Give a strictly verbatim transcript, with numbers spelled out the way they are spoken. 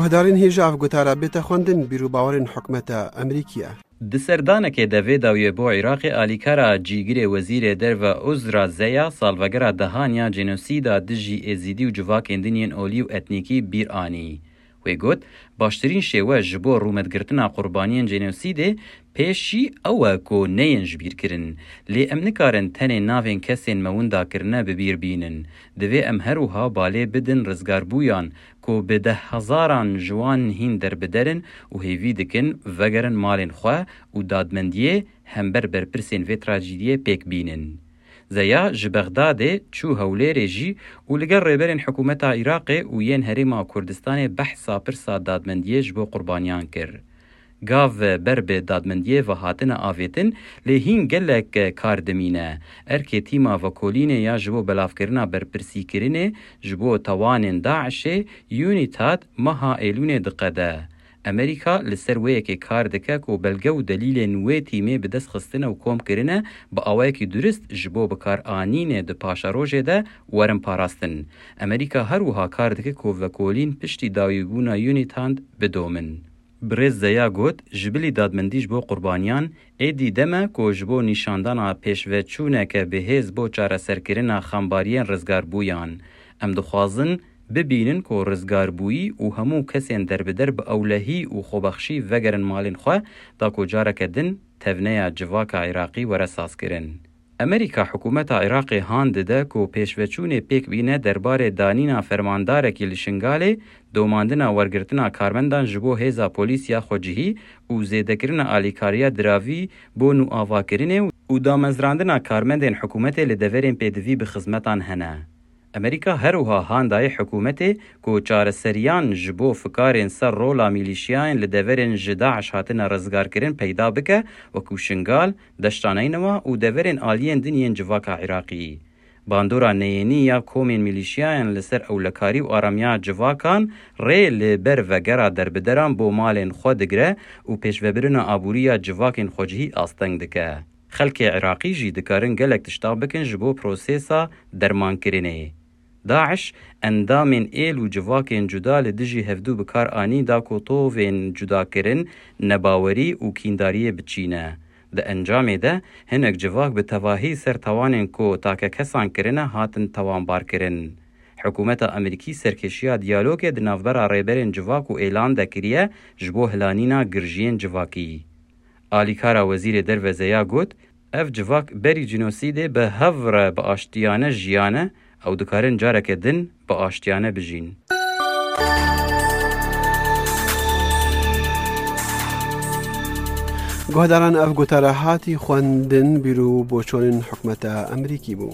Guhdarên hêja ev gotara bête xwendin bîr û bawerên hikûmeta Amerîkî ye. Di serdanekê de vê dawiyê bo Iraqê alîkara cîgirê wezîrê derve Uzra Zeya salvegera dehan ya cenosîda dijî Êzîdî û civakên din yên olî û etnîkî bîr anî. Wê got, baştirîn şêwe ji bo rûmetgirtina qurbaniyên cenosîdê pêşî ew e ku neyên jibîrkirin. Lê em nikarin tenê navên kesên me winda kirine bi bîr bînin. Divê em her wiha balê bidin rizgarbûyan ku bi dehhezaran ji wan hîn derbider in û hêvî dikin vegerin malên xwe û dadmendiyê hember berpirsên vê trajîdiyê pêk bînin. Zeya ji Bexdadê çû Hewlêrê jî û li gel rêberên hikûmeta Iraqê û yên Herêma Kurdistanê behsa pirsa dadmendiyê ji bo qurbaniyan kir. Gav ber bi dadmendiyê ve hatine avêtin, lê hîn gelek kar dimîne. Erkê tîma vekolînê ya ji bo belavkirina berpirsîkirinê ji bo tawanên DAIŞê, UNITAD, meha Êlûnê diqede. Amerîka li ser wê yekê kar dike ku belge û delîlên wê tîmê bi dest xistine û kom kirine, bi awayekî durist ji bo bikaranînê di paşerojê de werin parastin. Amerîka her wiha kar dike ku vekolîn piştî dawîbûna UNITAD bidomin. Birêz Zeya got, ji bilî dadmendî ji bo qurbaniyan, êdî dem e ku ji bo nîşandana pêşveçûneke bihêz bo çareserkirina xembariyên rizgarbûyan. Em dixwazin bibînin ku rizgarbûyî û hemû kesên derbider bi ewlehî û xwebexşî vegerin malên xwe, da ku careke din tevneya civaka Iraqî were sazkirin. Amerîka hikûmeta Iraqê han dide ku pêşveçûnê pêk bîne derbarê danîna fermandarekî li Şingalê, domandina wergirtina karmendan ji bo hêza polîs ya xwecihî û zêdekirina alîkariya diravî bo nûavakirinê û damezrandina karmendên hikûmetê li deverên pêdivî bi xizmetan hene. Amerîka her wiha han daye hikûmetê ku çareseriyan ji bo fikarên ser rola mîlîşiyayên li deverên ji DAIŞ hatine rizgarkirin peyda bike, wekû Şingal, Deşta Neynewa û deverên aliyên din yên civaka Iraqî. Bandora neyênî ya komên mîlîşiyayan li ser ewlekarî û aramiya civakan rê li ber vegera derbideran bo malên xwe digire û pêşvebirina aborî ya civakên xwecihî asteng dike. Xelkê Iraqî jî dikarin gelek tişta bikin ji bo prosesa dermankirinê. DAIŞ endamên êl û civakên cuda li dijî hevdû bi kar anî da ku tovên cudakirin, nebawerî û kîndariyê biçîne. Di encamê de hinek civak bi tevahî ser tawanên ku takekesan kirine hatin tawanbarkirin. Hikûmeta Amerîkî serkêşiya diyalogê di navbera rêberên civak û êlan de kiriye ji bo hilanîna girjiyên civakî. Alîkara Wezîrê Derve Zeya got, ev civak berî cînosîdê bi hev re bi aştiyane jiyane, ew dikarin careke din bi aştiyane bijîn. Guhdaran, ev gotara hatî xwendin bîr û boçonên hikûmeta Amerîkî bû.